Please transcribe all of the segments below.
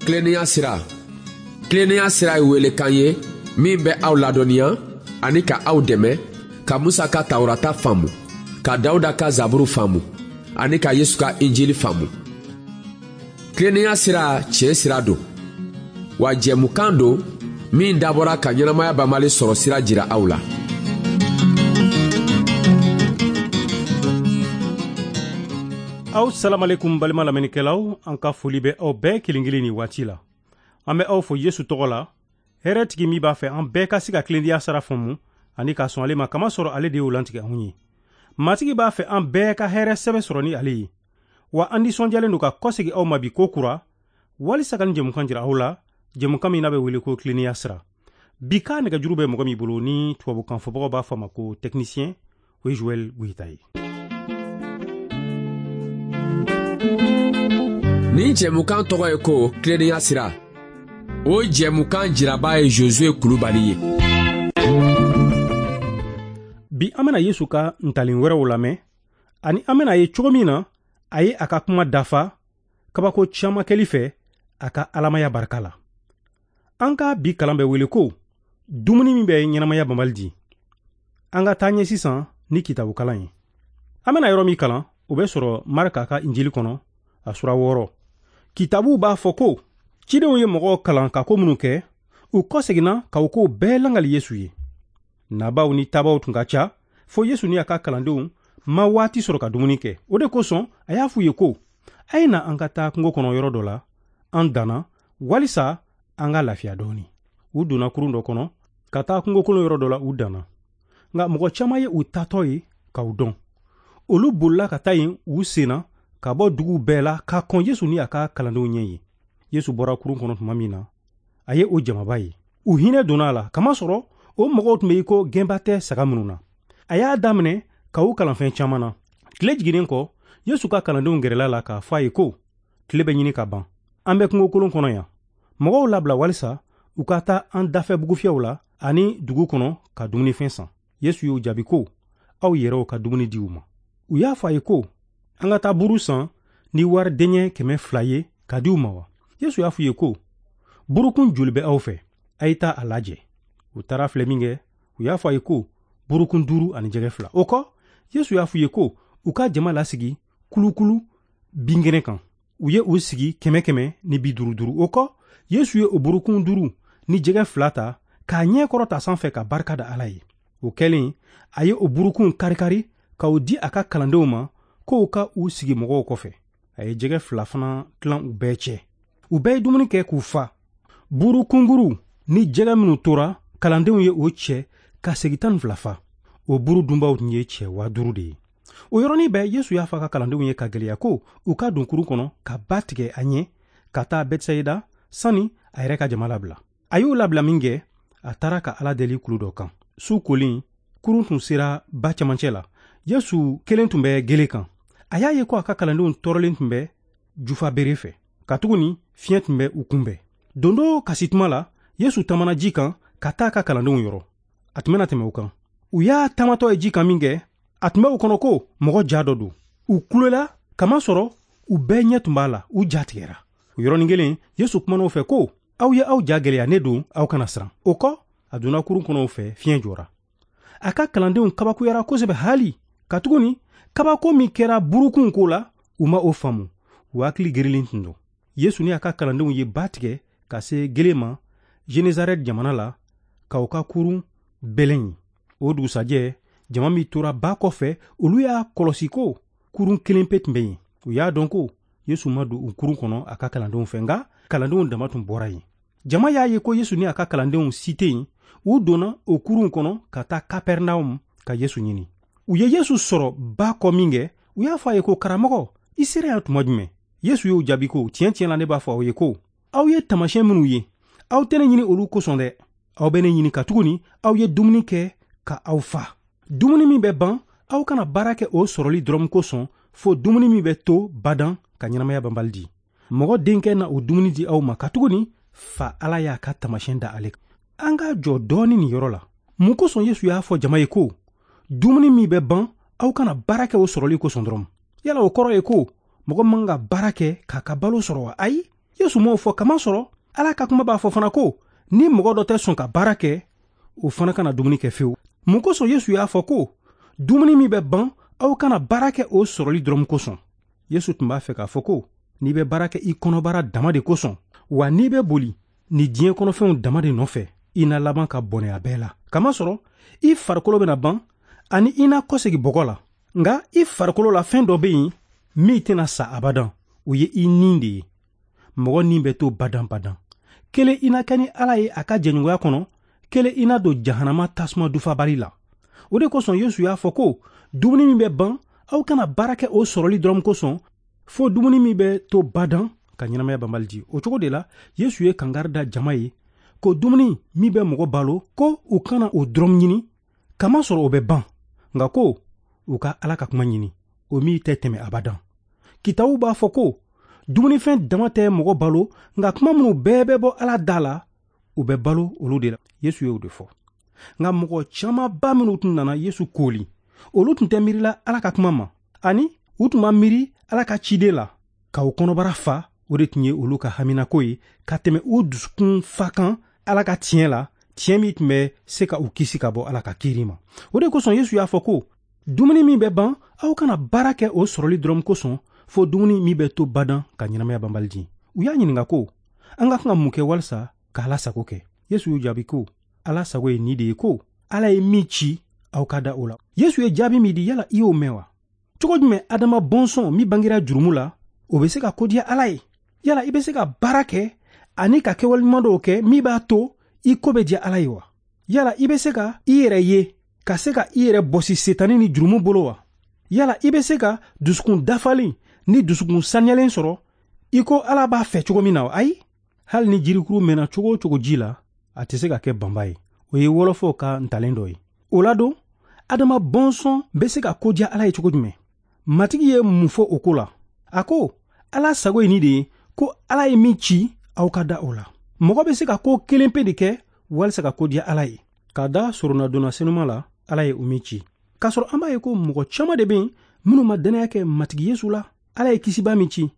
Tilennenya sira. Tilennenya sira ye welekan ye min bɛ aw ladɔnniya ani ka aw dɛmɛ ka Musa ka Tawurata faamu, ka Dawuda ka Zaburu faamu ani ka Yesu ka Injili faamu. Tilennenya sira tiɲɛ sira don, wa jɛmukan don min dabɔra ka ɲɛnamaya banbali sɔrɔ sira jira aw la. Aw salamalekum balima lamɛnnikɛlaw, an ka foli bɛ aw bɛɛ kelen kelen ni waati la. An bɛ aw fo Yesu tɔgɔ la, hɛrɛtigi min b'a fɛ an bɛɛ ka se ka tilennenya sira faamu ani ka sɔn ale ma, kamasɔrɔ ale de y'o lantigɛ anw ye. Matigi b'a fɛ an bɛɛ ka hɛrɛ sɛbɛ sɔrɔ ni ale ye. Wa an nisɔndiyalen don ka kɔsegin aw ma bi ko kura, walisa ka nin jɛmukan jira aw la, jɛmukan min n'a bɛ wele ko tilennenya sira. Bi ka nɛgɛjuru bɛ mɔgɔ min bolo ni tubabukan fɔbagaw b'a fɔ a ma ko technicien, o ye Joël Goyita ye. Nin jɛmukan tɔgɔ ye ko tilennenya sira. O jɛmukan jiraba ye Josue Kulubali ye. Bi an bɛna Yesu ka ntalen wɛrɛw lamɛn, ani an bɛna ye cogo min na a ye a ka kuma dafa kabako caman kɛli fɛ a ka alamaya barika la. An ka bi kalan bɛ wele ko dumuni min bɛ ɲɛnamaya banbali di. An ka taa ɲɛ sisan ni kitabu kalan ye. An bɛna yɔrɔ min kalan, o bɛ sɔrɔ Marka ka Injili kɔnɔ, a sura 6. Kitabu b'a fɔ ko cidenw ye mɔgɔw kalan ka ko minnu kɛ, u kɔseginna ka u kow bɛɛ langali Yesu ye. Nabaw ni tabaw tun ka ca, fo Yesu ni a ka kalandenw ma waati sɔrɔ ka dumuni kɛ. O de kosɔn a y'a f'u ye ko, a ye na an ka taa kungo kɔnɔ yɔrɔ dɔ la, an danna, walisa an ka lafiya dɔɔni. U donna kurun dɔ kɔnɔ ka taa kungokolon yɔrɔ dɔ la, u danna. Nka mɔgɔ caman ye u taatɔ ye k'u dɔn. Olu bolila ka taa yen u senna ka bɔ duguw bɛɛ la ka kɔn Yesu ni a ka kalandenw ɲɛ ye. Yesu bɔra kurun kɔnɔ tuma min na, a ye o jamaba ye. U hinɛ donna a la, kamasɔrɔ o mɔgɔw tun bɛ i ko gɛnba tɛ saga minnu na. A y'a daminɛ ka u kalan fɛn caman na. Tile jiginnen kɔ, Yesu ka kalandenw gɛrɛla la k'a fɔ a ye ko, tile bɛ ɲini ka ban. An bɛ kungokolon kɔnɔ yan. Mɔgɔw labila walisa u ka taa an dafɛ bugufiyɛw la ani dugu kɔnɔ ka dumunifɛn san. Yesu y'u jaabi ko, aw yɛrɛw ka dumuni di u ma. U y'a fɔ a ye ko, an ka taa buru san ni wari dɛɲɛ 200 ye ka di u ma wa? Yesu y'a fɔ u ye ko, burukun joli bɛ aw fɛ? A ye taa a lajɛ. U taara filɛ min kɛ, u y'a fɔ a ye ko, burukun 5 ani jɛgɛ 2. O kɔ, Yesu y'a fɔ u ye ko, u ka jama lasigi kulukulu binkɛnɛ kan. U ye u sigi 100 ni 50 50. O kɔ, Yesu ye o burukun 5 ni jɛgɛ 2 ta k'a ɲɛ kɔrɔta sanfɛ ka barika da Ala ye. O kɛlen, a ye o burukunw karikari k'o di a ka kalandenw ma k'o ka u sigi mɔgɔw kɔfɛ. A ye jɛgɛ 2 fana tilan u bɛɛ cɛ. U bɛɛ ye dumuni kɛ k'u fa. Buru kunkuruw ni jɛgɛ minnu tora, kalandenw ye o cɛ ka segi 12 fa. O buru dunbaw tun ye cɛ 5000 de ye. O yɔrɔnin bɛɛ, Yesu y'a fɔ a ka kalandenw ye ka gɛlɛya ko u ka don kurun kɔnɔ ka ba tigɛ a ɲɛ ka taa Bɛtisayida sani a yɛrɛ ka jama labila. A y'o labila min kɛ, a taara ka Ala deli kulu dɔ kan. Su kolen, kurun tun sera ba cɛmancɛ la. Yesu kelen tun bɛ gele kan. A y'a ye ko a ka kalandenw tɔɔrɔlen tun bɛ jufa bere fɛ, katuguni fiɲɛ tun bɛ u kunbɛn. Dondo kasi tuma la, Yesu taamana ji kan ka taa a ka kalandenw yɔrɔ. A tun bɛna tɛmɛ u kan. U y'a taamatɔ ye ji kan min kɛ, a tun bɛ u kɔnɔ ko mɔgɔ ja dɔ don. U kulela, kamasɔrɔ u bɛɛ ɲɛ tun b'a la, u ja tigɛra. O yɔrɔnin kelen, Yesu kumana u fɛ ko, aw ye aw ja gɛlɛya, ne don, aw kana siran. O kɔ, a donna kurun kɔnɔ u fɛ, fiɲɛ jɔra. A ka kalandenw kabakuyara kosɛbɛ hali, katuguni kabako min kɛra burukunw ko la, u ma o faamu. U hakili gerilen tun don. Yesu ni a ka kalandenw ye ba tigɛ ka se gele ma Genesaret jamana la, ka u ka kurun bɛlɛn ye. O dugusajɛ, jama min tora ba kɔfɛ, olu y'a kɔlɔsi ko kurun kelen pe tun bɛ yen. U y'a dɔn ko Yesu ma don u kurun kɔnɔ a ka kalandenw fɛ, nka kalandenw dama tun bɔra yen. Jama y'a ye ko Yesu ni a ka kalandenw si tɛ yen. U donna o kurun kɔnɔ ka taa Kapɛrnaum ka Yesu ɲini. U ye Yesu sɔrɔ ba kɔ min kɛ, u y'a fɔ a ye ko, karamɔgɔ, i sera yan tuma jumɛn? Yesu y'u jaabi ko, tiɲɛ tiɲɛ la ne b'a fɔ aw ye ko, aw ye taamasiyɛn minnu ye, aw tɛ ne ɲini olu kosɔn dɛ. Aw bɛ ne ɲini katuguni aw ye dumuni kɛ ka aw fa. Dumuni min bɛ ban, aw kana baara kɛ o sɔrɔli dɔrɔn kosɔn, fo dumuni min bɛ to badan ka ɲɛnamaya banbali di. Mɔgɔ denkɛ na o dumuni di aw ma, katuguni fa Ala y'a ka taamasiyɛn da ale kan. An ka jɔ dɔɔni nin yɔrɔ la. Mun kosɔn Yesu y'a fɔ jama ye ko dumuni min bɛ ban, aw kana baara kɛ o sɔrɔli kosɔn dɔrɔn? Yala o kɔrɔ ye ko mɔgɔ man ka baara kɛ k'a ka balo sɔrɔ wa? Ayi, Yesu m'o fɔ kamasɔrɔ Ala ka kuma b'a fɔ fana ko ni mɔgɔ dɔ tɛ sɔn ka baara kɛ, o fana kana dumuni kɛ fewu. Mun kosɔn Yesu y'a fɔ ko dumuni min bɛ ban, aw kana baara kɛ o sɔrɔli dɔrɔn kosɔn? Yesu tun b'a fɛ k'a fɔ ko n'i bɛ baara kɛ i kɔnɔbara dama de kosɔn, wa n'i bɛ boli ni diɲɛ kɔnɔfɛnw dama de nɔfɛ, i na laban ka bɔnɛ a bɛɛ la. Kamasɔrɔ i farikolo bɛna ban ani i na kɔsegi bɔgɔ la. Nka i farikolo la fɛn dɔ bɛ yen min tɛna sa abadan, o ye i nin de ye. Mɔgɔ nin bɛ to badan-badan. Kelen i na kɛ ni Ala ye a ka jɛɲɔgɔnya kɔnɔ, kelen i na don jahanama tasuma dufabali la. O de kosɔn Yesu y'a fɔ ko dumuni min bɛ ban, aw kana baara kɛ o sɔrɔli dɔrɔn kosɔn, fo dumuni min bɛ to badan ka ɲɛnamaya banbali di. O cogo de la Yesu ye kangari da jama ye ko dumuni min bɛ mɔgɔ balo, ko u kana o dɔrɔn ɲini, kamasɔrɔ o bɛ ban, nka ko u ka Ala ka kuma ɲini, o min tɛ tɛmɛ abadan. Kitabu b'a fɔ ko dumunifɛn dama tɛ mɔgɔ balo, nka kuma minnu bɛɛ bɛ bɔ Ala da la, u bɛ balo olu de la. Yesu y'o de fɔ. Nka mɔgɔ camanba minnu tun nana Yesu kooli, olu tun tɛ miirila Ala ka kuma ma, ani u tun ma miiri Ala ka ciden la. Ka u kɔnɔbara fa, o de tun ye olu ka haminako ye ka tɛmɛ u dusukun fa kan Ala ka tiɲɛ la, tiɲɛ min tun bɛ se ka u kisi ka bɔ Ala ka kiiri ma. O de kosɔn Yesu y'a fɔ ko dumuni min bɛ ban, aw kana baara kɛ o sɔrɔli dɔrɔn kosɔn, fo dumuni min bɛ to badan ka ɲɛnamaya banbali di. U y'a ɲininka ko an ka kan ka mun kɛ walisa ka Ala sago kɛ? Yesu y'u jaabi ko Ala sago ye nin de ye, ko Ala ye min ci, aw ka da o la. Yesu ye jaabi min di, yala i y'o mɛn wa? Cogo jumɛn Adama bɔnsɔn min bangera jurumu la, o bɛ se ka kodiya Ala ye? Yala i bɛ se ka baara kɛ ani ka kɛwale ɲuman dɔw kɛ min b'a to i ko bɛ diya Ala ye wa? Yala i bɛ se ka i yɛrɛ ye, ka se ka i yɛrɛ bɔsi Setani ni jurumu bolo wa? Yala i bɛ se ka dusukun dafalen ni dusukun saniyalen sɔrɔ i ko Ala b'a fɛ cogo min na wa? Ayi, hali ni jirikuru mɛnna cogo o cogo ji la, a tɛ se ka kɛ banba ye. O ye wɔlɔfɔw ka ntalen dɔ ye. O la don, Adama bɔnsɔn bɛ se ka kodiya Ala ye cogo jumɛn? Matigi ye mun fɔ o ko la? A ko Ala sago ye nin de ye, ko Ala ye min ci, aw ka da o la. Mɔgɔ bɛ se ka ko kelen pe de kɛ walisa ka kodiya Ala ye, ka da soronadonna senuma la, Ala ye o min ci. K'a sɔrɔ an b'a ye ko mɔgɔ caman de bɛ yen minnu ma dannaya kɛ Matigi Yesu la, Ala ye kisiba min ci.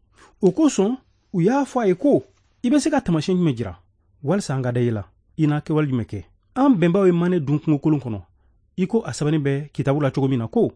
O kosɔn u y'a fɔ a ye ko i bɛ se ka taamasiyɛn jumɛn jira walisa an ka da i la? I na kɛwale jumɛn kɛ? An bɛnbaw ye manɛ dun kungokolon kɔnɔ, i ko a sɛbɛnnen bɛ kitabu la cogo min na ko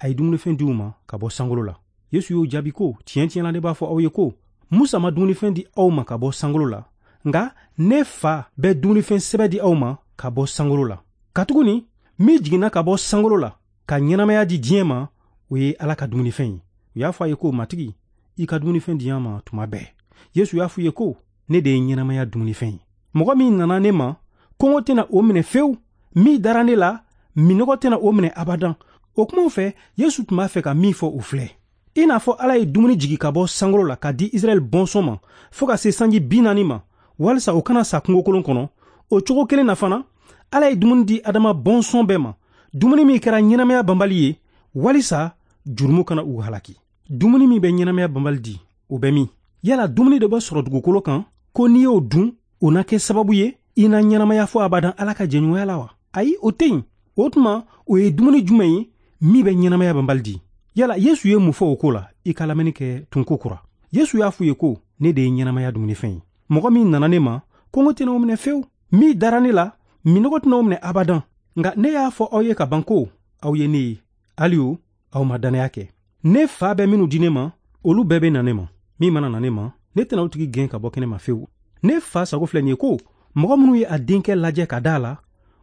a ye dumunifɛn di u ma ka bɔ sankolo la. Yesu y'o jaabi ko tiɲɛ tiɲɛ na ne b'a fɔ aw ye ko Musa ma dumunifɛn di aw ma ka bɔ sankolo la, nka ne fa bɛ dumunifɛn sɛbɛ di aw ma ka bɔ sankolo la. Katuguni min jiginna ka bɔ sankolo la ka ɲɛnamaya di diɲɛ ma, o ye Ala ka dumunifɛn ye. U y'a fɔ a ye ko Matigi, i ka dumunifɛn di an ma tuma bɛɛ. Yesu y'a fɔ u ye ko ne de ye ɲɛnamaya dumunifɛn ye. Mɔgɔ min nana ne ma, kɔngɔ tɛna o minɛ fewu. Min dara ne la, minnɔgɔ tɛna o minɛ abadan. O kumaw fɛ, Yesu tun b'a fɛ ka min fɔ o filɛ. I n'a fɔ Ala ye dumuni jigi ka bɔ sankolo la ka di Israɛl bɔnsɔn ma fo ka se sanji 40 ma, walisa o kana sa kungokolon kɔnɔ, o cogo kelen na fana, Ala ye dumuni di Adama bɔnsɔn bɛɛ ma, dumuni min kɛra ɲɛnamaya banbali ye, walisa jurumu kana u halaki. Dumuni min bɛ ɲɛnamaya banbali di, o bɛ min? Yala dumuni dɔ bɛ sɔrɔ dugukolo kan ko n'i y'o dun, o na kɛ sababu ye i na ɲɛnamaya fo abadan Ala ka jɛɲɔgɔnya la wa? Ayi, o tɛ yen. O tuma, o ye dumuni jumɛn ye min bɛ ɲɛnamaya banbali di? Yala Yesu ye mun fɔ o ko la? I ka lamɛnni kɛ tun ko kura. Yesu y'a f'u ye ko ne de ye ɲɛnamaya dumunifɛn ye. Mɔgɔ min nana ne ma, kɔngɔ tɛna o minɛ fewu. Min dara ne la, minnɔgɔ tɛna o minɛ abadan. Nka ne y'a fɔ aw ye ka ban ko aw ye ne ye, hali o aw ma dannaya kɛ. Ne fa bɛ minnu di ne ma, olu bɛɛ bɛ na ne ma. Min mana na ne ma, ne tɛna o tigi gɛn ka bɔ kɛnɛ ma fewu. Ne fa sago filɛ nin ye ko mɔgɔ minnu ye a denkɛ lajɛ ka da a la,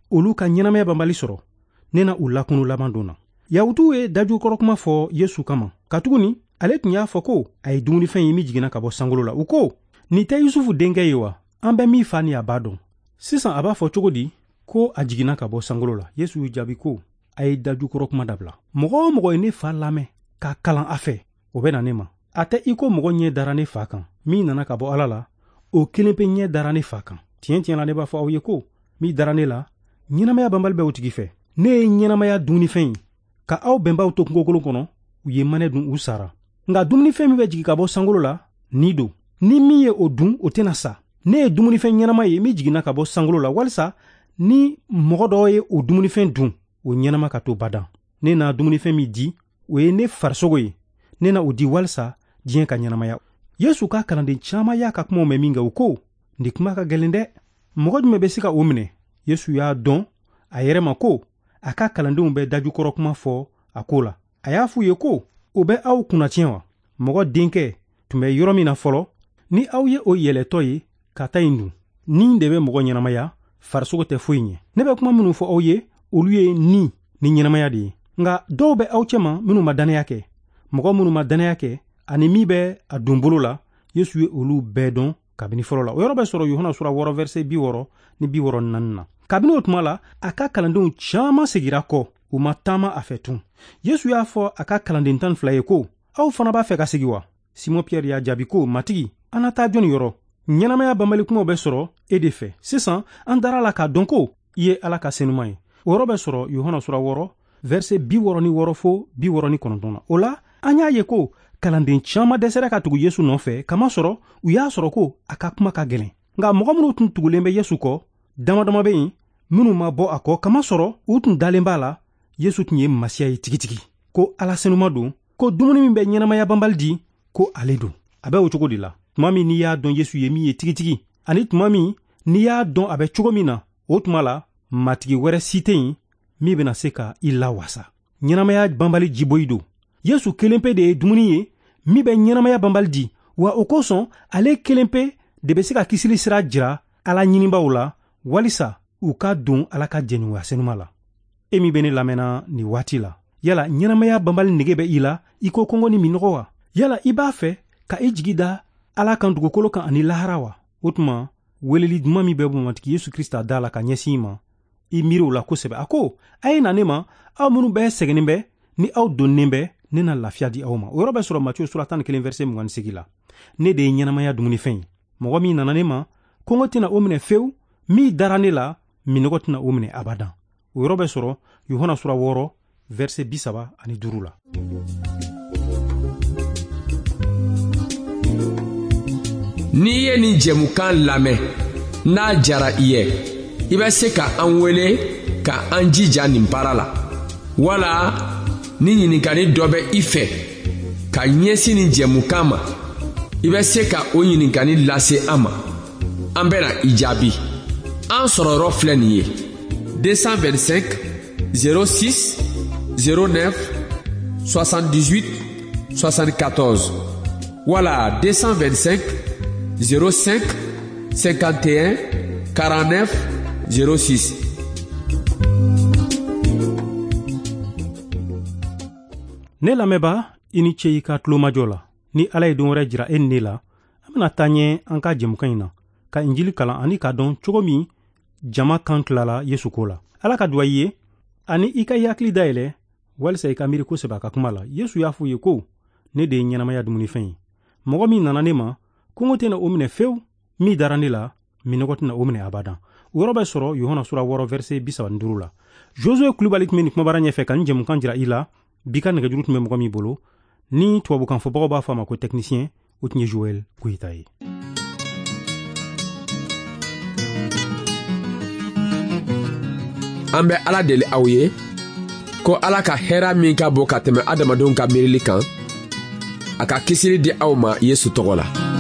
olu ka ɲɛnamaya banbali sɔrɔ. Ne na u lakunu laban don na. Yahutuw ye dajukɔrɔ kuma fɔ Yesu kama, katuguni ale tun y'a fɔ ko a ye dumunifɛn ye min jiginna ka bɔ sankolo la. U ko, nin tɛ Yusufu denkɛ ye wa? An bɛ min fa ni a ba dɔn. Sisan a b'a fɔ cogo di ko a jiginna ka bɔ sankolo la? Yesu y'u jaabi ko a ye dajukɔrɔ kuma dabila. Mɔgɔ o mɔgɔ ye ne fa lamɛn k'a kalan a fɛ, o bɛ na ne ma. A tɛ i ko mɔgɔ ɲɛ dara ne fa kan. Min nana ka bɔ Ala la, o kelen pe ɲɛ dara ne fa kan. Tiɲɛ tiɲɛ na ne b'a fɔ aw ye ko min dara ne la, ɲɛnamaya banbali bɛ o tigi fɛ. Ne ye ɲɛnamaya dumunifɛn ye. Ka aw bɛnbaw to kungokolon kɔnɔ, u ye manɛ dun, u sara. Nka dumunifɛn min bɛ jigin ka bɔ sankolo la, ni don. Ni min ye o dun, o tɛna sa. Ne ye dumunifɛn ɲɛnama ye min jiginna ka bɔ sankolo la, walisa ni mɔgɔ dɔ ye o dumunifɛn dun, o ɲɛnama ka to badan. Ne na dumunifɛn min di, o ye ne farisogo ye. Ne na o di walisa diɲɛ ka ɲɛnamaya. Yesu ka kalanden caman y'a ka kumaw mɛn min kɛ, u ko: Nin kuma ka gɛlɛn dɛ, mɔgɔ jumɛn bɛ se ka o minɛ? Yesu y'a dɔn a yɛrɛ ma ko a ka kalandenw bɛ dajukɔrɔ kuma fɔ a ko la. A y'a f'u ye ko: O bɛ aw kunnatiɲɛ wa? Mɔgɔ denkɛ tun bɛ yɔrɔ min na fɔlɔ, ni aw ye o yɛlɛtɔ ye ka taa yen dun? Ni de bɛ mɔgɔ ɲɛnamaya, farisogo tɛ foyi ɲɛ. Ne bɛ kuma minnu fɔ aw ye, olu ye ni ni ɲɛnamaya de ye. Nka dɔw bɛ aw cɛma minnu ma dannaya kɛ. Mɔgɔ minnu ma dannaya kɛ ani min bɛ a don bolo la, Yesu ye olu bɛɛ dɔn kabini fɔlɔ la. O yɔrɔ bɛ sɔrɔ Yohana sura 6 verset 64 na. Kabini o tuma la, a ka kalandenw caman segira kɔ, u ma taama a fɛ tun. Yesu y'a fɔ a ka kalanden 12 ye ko: Aw fana b'a fɛ ka segi wa? Simɔn Piyɛri y'a jaabi ko: Matigi, an na taa jɔnni yɔrɔ? Ɲɛnamaya banbali kumaw bɛ sɔrɔ e de fɛ. Sisan an dara la k'a dɔn ko i ye Ala ka senuman ye. O yɔrɔ bɛ sɔrɔ Yohana sura 6 verset 66 fo 69 na. O la, an y'a ye ko kalanden caman dɛsɛra ka tugu Yesu nɔfɛ, kamasɔrɔ u y'a sɔrɔ ko a ka kuma ka gɛlɛn. Nka mɔgɔ minnu tun tugulen bɛ Yesu kɔ, dama dama bɛ yen minnu ma bɔ a kɔ, kamasɔrɔ u tun dalen b'a la Yesu tun ye Masiya ye tigitigi, ko Ala senuma don, ko dumuni min bɛ ɲɛnamaya banbali di, ko ale don. A bɛ o cogo de la. Tuma min n'i y'a dɔn Yesu ye min ye tigitigi, ani tuma min n'i y'a dɔn a bɛ cogo min na, o tuma la matigi wɛrɛ si tɛ yen min bɛna se ka i lawasa. Ɲɛnamaya banbali jiboyi don. Yesu kelen pe de ye dumuni ye min bɛ ɲɛnamaya banbali di, wa o kosɔn ale kelen pe de bɛ se ka kisili sira jira Ala ɲinibaaw la, walisa u ka don Ala ka jɛɲɔgɔnya senuma la. E min bɛ ne lamɛnna nin waati la, yala ɲɛnamaya banbali nege bɛ i la i ko kɔngɔ ni minnɔgɔ wa? Yala i b'a fɛ ka i jigi da Ala kan dugukolo kan ani lahara wa? O tuma, weleli duman min bɛ Matigi Yesu Krista da la ka ɲɛsin i ma, i miiri o la kosɛbɛ. A ko: A ye na ne ma, aw minnu bɛɛ sɛgɛnnen bɛ ni aw donnen bɛ, ne na lafiya di aw ma. O yɔrɔ bɛ sɔrɔ Matiyu sura 11 verset 28 la. Ne de ye ɲɛnamaya dumunifɛn ye. Mɔgɔ min nana ne ma, kɔngɔ tɛna o minɛ fewu, min dara ne la, minnɔgɔ tɛna o minɛ abadan. O yɔrɔ bɛ sɔrɔ Yohana sura 6 verset 35 la. N'i ye nin jɛmukan lamɛn, n'a jara i ye, i bɛ se ka an wele ka an jija nin baara la. Wala ni ɲininkali dɔ bɛ i fɛ ka ɲɛsin nin jɛmukan ma, i bɛ se ka o ɲininkali lase an ma. An bɛna i jaabi. An sɔrɔ yɔrɔ filɛ nin ye: 225 06 09 78 74 wala 225 05 51 49 06. Ne lamɛnba, i ni ce i ka tulomajɔ la. Ni Ala ye don wɛrɛ jira e ni ne la, an bɛna taa ɲɛ an ka jɛmukan in na, ka Injili kalan ani k'a dɔn cogo min jama kan tilala Yesu ko la. Ala ka duwa i ye ani i ka i hakili dayɛlɛ walisa i ka miiri kosɛbɛ a ka kuma la. Yesu y'a fɔ u ye ko: Ne de ye ɲɛnamaya dumunifɛn ye. Mɔgɔ min nana ne ma, kɔngɔ tɛna o minɛ fewu, min dara ne la, minnɔgɔ tɛna o minɛ abadan. O yɔrɔ bɛ sɔrɔ Yohana sura 6 verset 35 la. Josue Kulubali tun bɛ nin kumabara ɲɛfɛ ka nin jɛmukan jira i la. Bi ka nɛgɛjuru tun bɛ mɔgɔ min bolo, ni tubabukan fɔbagaw b'a fɔ a ma ko technicien, o tun ye Joël Goyita ye. An bɛ Ala deli aw ye ko Ala ka hɛrɛ min ka bon ka tɛmɛ adamadenw ka miirili kan, a ka kisili di aw ma Yesu tɔgɔ la.